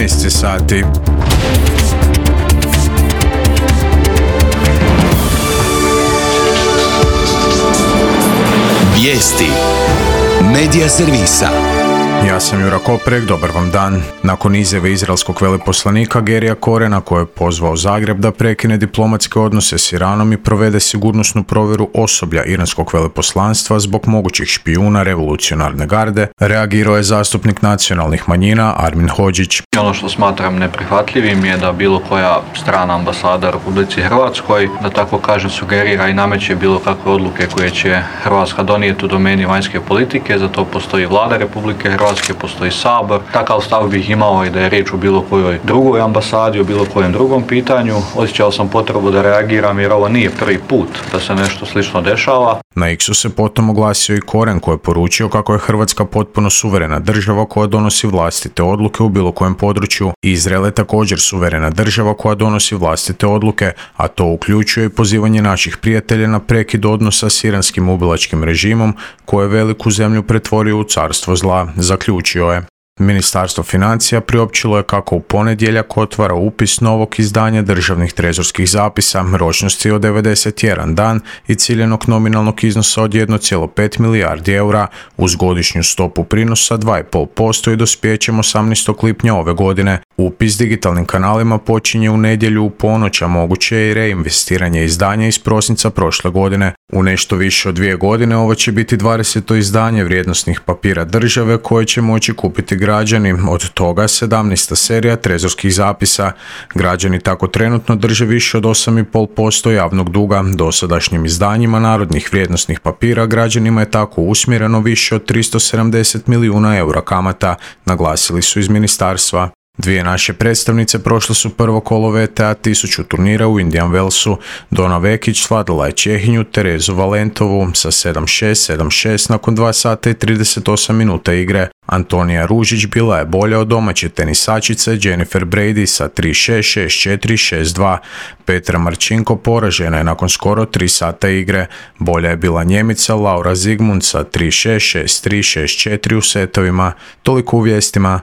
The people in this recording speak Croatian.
13 sati. Vijesti Medija servisa. Ja sam Jura Koprek, dobar vam dan. Nakon izjave izraelskog veleposlanika Gerija Korena koji je pozvao Zagreb da prekine diplomatske odnose s Iranom i provede sigurnosnu provjeru osoblja iranskog veleposlanstva zbog mogućih špijuna revolucionarne garde, reagirao je zastupnik nacionalnih manjina Armin Hodžić. Ono što smatram neprihvatljivim je da bilo koja strana ambasada u Republici Hrvatskoj, da tako kažem, sugerira i nameće bilo kakve odluke koje će Hrvatska donijeti u domeni vanjske politike. Za to postoji Vlada Republike Hrvatske, postoji Sabor. Takav stav bih imao i da je riječ o bilo kojoj drugoj ambasadi, o bilo kojem drugom pitanju. Osjećao sam potrebu da reagiram jer ovo nije prvi put da se nešto slično dešava. Na X-u se potom oglasio i Koren koji je poručio kako je Hrvatska potpuno suverena država koja donosi vlastite odluke u bilo kojem području. Izrael je također suverena država koja donosi vlastite odluke, a to uključuje i pozivanje naših prijatelja na prekid odnosa s iranskim ubilačkim režimom koje je veliku zemlju pretvorio u carstvo zla, zaključio je. Ministarstvo financija priopćilo je kako u ponedjeljak otvara upis novog izdanja državnih trezorskih zapisa ročnosti od 91 dan i ciljanog nominalnog iznosa od 1,5 milijardi eura uz godišnju stopu prinosa 2,5% i dospijećem 18. lipnja ove godine. Upis digitalnim kanalima počinje u nedjelju u ponoć, a moguće je i reinvestiranje izdanja iz prosinca prošle godine. U nešto više od 2 godine ovo će biti 20. izdanje vrijednosnih papira države koje će moći kupiti građani, od toga 17. serija trezorskih zapisa. Građani tako trenutno drže više od 8,5% javnog duga. Dosadašnjim izdanjima narodnih vrijednosnih papira građanima je tako usmjereno više od 370 milijuna eura kamata, naglasili su iz ministarstva. Dvije naše predstavnice prošle su prvo kolo VTA 1000 turnira u Indian Wellsu. Dona Vekić svladala je Čehinju Terezu Valentovu sa 7-6, 7-6 nakon 2 sata i 38 minuta igre. Antonija Ružić bila je bolja od domaće tenisačice Jennifer Brady sa 3-6, 6-4, 6-2. Petra Marčinko poražena je nakon skoro 3 sata igre. Bolja je bila Njemica Laura Zigmund sa 3-6, 6-3, 6-4 u setovima. Toliko u vijestima.